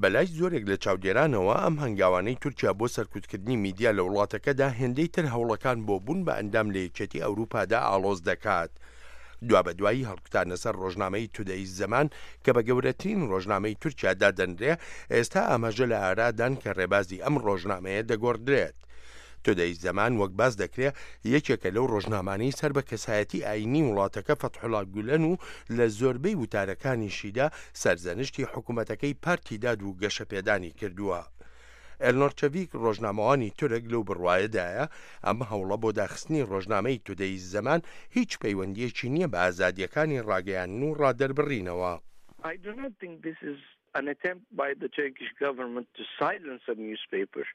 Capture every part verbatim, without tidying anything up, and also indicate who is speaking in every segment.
Speaker 1: بەلای زۆرێک لە چاودێرانەوە ئەم هەنگاوانەی تورکیا بۆ سەرکوتکردنی میدیا لە وڵاتەکەدا هێندەی تر هەوڵەکان بۆ بوون بە ئەندام لە یەکێتی ئەوروپادا ئاڵۆز دەکات. دوابەدوای هەڵکوتانە سەر ڕۆژنامەی تودەیز زەمان کە بە گەورەترین ڕۆژنامەی تورکیا دادەنرێ، ئێستا ئاماژە لە ئارادان کە ڕێبازی ئەم ڕۆژنامەیە دەگۆڕدرێت. تودەیز زەمان وەک باس دەکرێ یەکێکە لەو ڕۆژنامانەی سەر بە کەسایەتی ئایینی وڵاتەکە فەتحوڵا گولەن و لە زۆربەی وتارەکانیشیدا سەرزەنشتی حکوومەتەکەی پارتی داد و گەشەپێدانی کردووە. ئێلنۆر چەڤیک ڕۆژنامەوانی تورک لەو بڕوایەدایە ئەم هەوڵە بۆ داخستنی ڕۆژنامەی تودەیز زەمان هیچ پەیوەندییەکی نییە بە ئازادییەکانی ڕاگەیاندن و ڕادەربڕینەوە.
Speaker 2: I do not think this is an attempt by the Turkish government to silence a newspaper.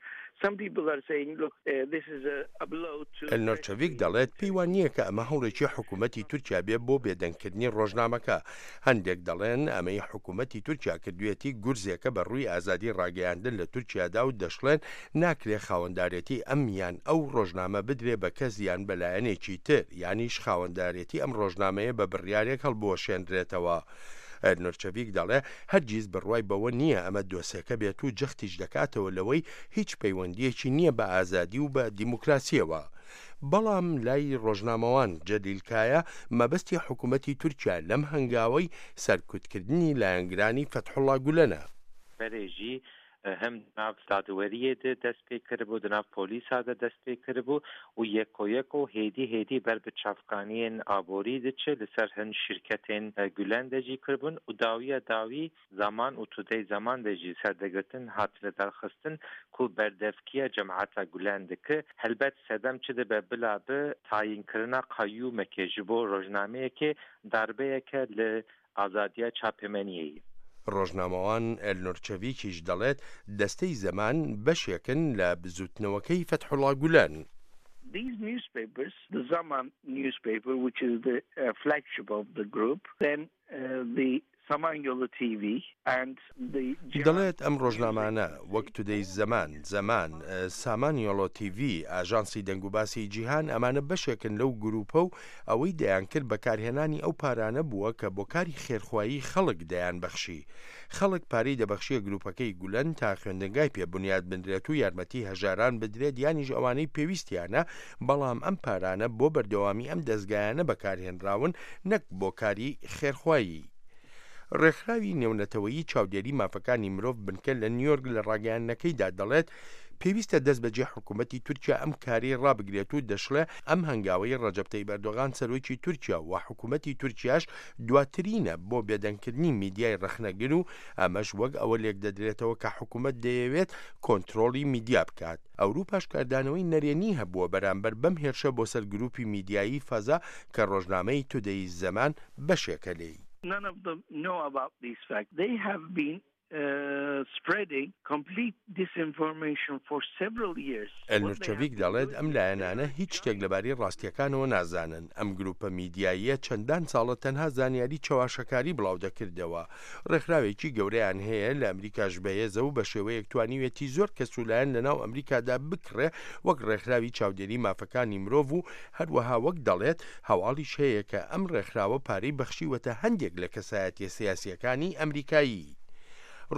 Speaker 2: Some people are saying, look, uh, this is a, a blow to...
Speaker 1: ئێلنۆر چەڤیک دەڵێت پێی وا نییە کە ئەمە هەوڵێکی حکوومەتی تورکیا بێ بۆ بێدەنگکردنی ڕۆژنامەکە. هەندێک دەڵێن ئەمەی حکوومەتی تورکیا کردوویەتی گورزێکە بە ڕووی ئازادی ڕاگەیاندن لە تورکیادا و دەشڵێن ناکرێ خاوەندارێتی ئەم یان ئەو ڕۆژنامە بدرێ بە کەس یان بە لایەنێکی تر یانیش خاوەندارێتی ئەم ڕۆژنامەیە بە بڕیارێک هەڵبوەشێنرێتەوە. ئێلنۆر چەڤیک دەڵێ هەرگیز بڕوای بەوە نییە ئەمە دۆسێکە بێت و جەختیش دەکاتەوە لەوەی هیچ پەیوەندییەکی نییە بە ئازادی و بە دیموکراسیەوە. بەڵام لای ڕۆژنامەوان جەلیل کایا مەبەستی حکوومەتی تورکیا لەم هەنگاوەی سەرکوتکردنی لایەنگرانی فەتحوڵا گولەنە.
Speaker 3: Berê jî him di nav dadweriyê de dest pê kiribû, di nav polîsa de dest pê kiribû û yeko yeko hêdî hêdî ber bi çavkaniyên aborî diçe li ser hin şirketên Gülen de jî kiribûn û dawiya dawî Zaman û Today Zaman de jî serdegirtin hat lidarxistin ku berdevkiya cemaeta Gülen dike. Helbet sedem çi dibe bila bi tayînkirina qayyûmekê ji bo rojnameyekê darbeyeke li azadiya çapemeniyê ye.
Speaker 1: ڕۆژنامەوان ئێلنۆر چەڤیکیش دەڵێت دەستەی زەمان بەشێکن لە بزوتنەوەکەی فەتحوڵا گولەن.
Speaker 2: These newspapers, the Zaman newspaper, which is the uh, flagship of the group, then uh, the Samanyolu T V and the
Speaker 1: دەڵێت ئەم ڕۆژنامانە وەک تودەیز زەمان، زەمان، سامان یۆڵۆ تیڤی، ئاژانسی دەنگوباسی جیهان ئەمانە بەشێکن لەو گروپە و ئەوەی دەیانکرد بەکارهێنانی ئەو پارانە بووە کە بۆ کاری خێرخوایی خەڵک دەیان بەخشی. خەڵک پارەی دەبەخشیە گروپەکەی گولەن تا خوێندنگای پێ بنیاد بنرێت و یارمەتی هەژاران بدرێت یانیش ئەوانەی پێویستیانە، بەڵام ئەم پارانە بۆ بەردەوامی ئەم دەزگایانە بەکارهێنراون نەک بۆ کاری خێرخوایی. ڕێکخراوی نێونەتەوەیی چاودێری مافەکانی مرۆڤ بنکە لە نیویۆرک لە ڕاگەیاندنەکەیدا دەڵێت پێویستە دەست بەجێ حکوومەتی تورکیا ئەم کاری ڕابگرێت و دەشڵێ ئەم هەنگاوەی ڕەجەب تەیب ئەردۆغان سەرۆکی تورکیا و حکوومەتی تورکیاش دواترینە بۆ بێدەنگکردنی میدیای ڕەخنەگر و ئەمەش وەک ئەوە لێکدەدرێتەوە کە حکوومەت دەیەوێت کۆنترۆڵی میدیا بکات. ئەوروپاش کاردانەوەی نەرێنی هەبووە بەرامبەر بەم هێرشە بۆ سەر گروپی میدیایی فەزا کە ڕۆژنامەی تودەیز زەمان بەشێکە لێی.
Speaker 2: None of them know about these facts. They have been uh, spreading complete disinformation for several years.
Speaker 1: ئێلنۆر چەڤیک دەڵێت ئەم لایەنانە هیچ شتێک لەبارەی ڕاستیەکانەوە نازانن. ئەم گروپە میدیاییە چەندان ساڵە تەنها زانیاری چەواشەکاری بڵاو دەکردەوە. ڕێکخراوێکی گەورەیان هەیە لە ئەمریکاش بەهێزە و بە شێوەیەک توانیوێتی زۆر کەس و لایەن لەناو ئەمریکادا بکڕێ وەک ڕێکخراوی چاودێری مافەکانی مرۆڤ و هەروەها وەک دەڵێت هەواڵیش هەیە کە ئەم ڕێکخراوە پارەی بەخشیوەتە هەندێک لە کەسایەتیە سیاسیەکانی ئەمریکایی.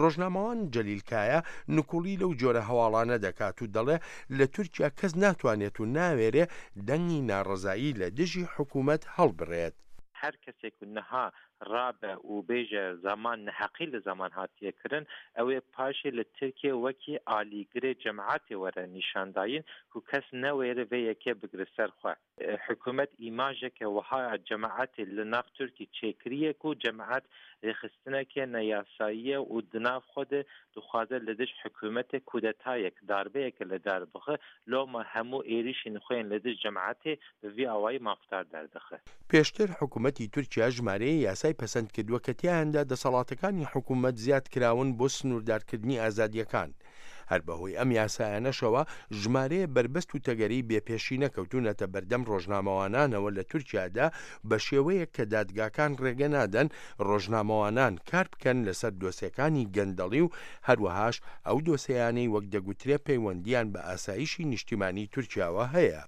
Speaker 1: ڕۆژنامەوان جەلیل کایا نکوڵی لەو جۆرە هەواڵانە دەکات و دەڵێ لە تورکیا کەس ناتوانێت و ناوێرێ دەنگی ناڕەزایی لە دژی حکوومەت هەڵبڕێت.
Speaker 3: هەر کەسێک niha rabe û bêje Zaman neheqî li Zaman hatiye kirin, ew ê paşê li Tirkiye wekî alîgirê cemaetê were nîşandayîn ku kes newêre vê yekê bigire ser xwe. Hikûmet îmajeke wiha cemaetê li nav Tirkî çêkiriye ku cemaet rêxistineke neyasayî û di nav xwe de dixwaze li dij hikûmetê kudetayek darbeyeke li dar bixe, loma hemû êrişên xwe yên li dij cemaetê bi vî awayî mafdar derdixe.
Speaker 1: پێشتر حکوومەتی تورکیا ژمارەیە یاسای پەسەند کردووە کە تیایاندا دەسەڵاتەکانی حکوومەت زیاد کراون بۆ سنووردارکردنی ئازادیەکان. هەر بەهۆی ئەم یاسایانەشەوە ژمارەیە بەربەست و تەگەری بێپێشینە کەوتونەتە بەردەم ڕۆژنامەوانانەوە لە تورکیادا بە شێوەیەک کە دادگاکان ڕێگە نادەن ڕۆژنامەوانان کار بکەن لەسەر دۆسیەکانی گەندەڵی و هەروەهاش ئەو دۆسیانەی وەک دەگوترێ پەیوەندیان بە ئاسایشی نیشتیمانی تورکیاوە هەیە.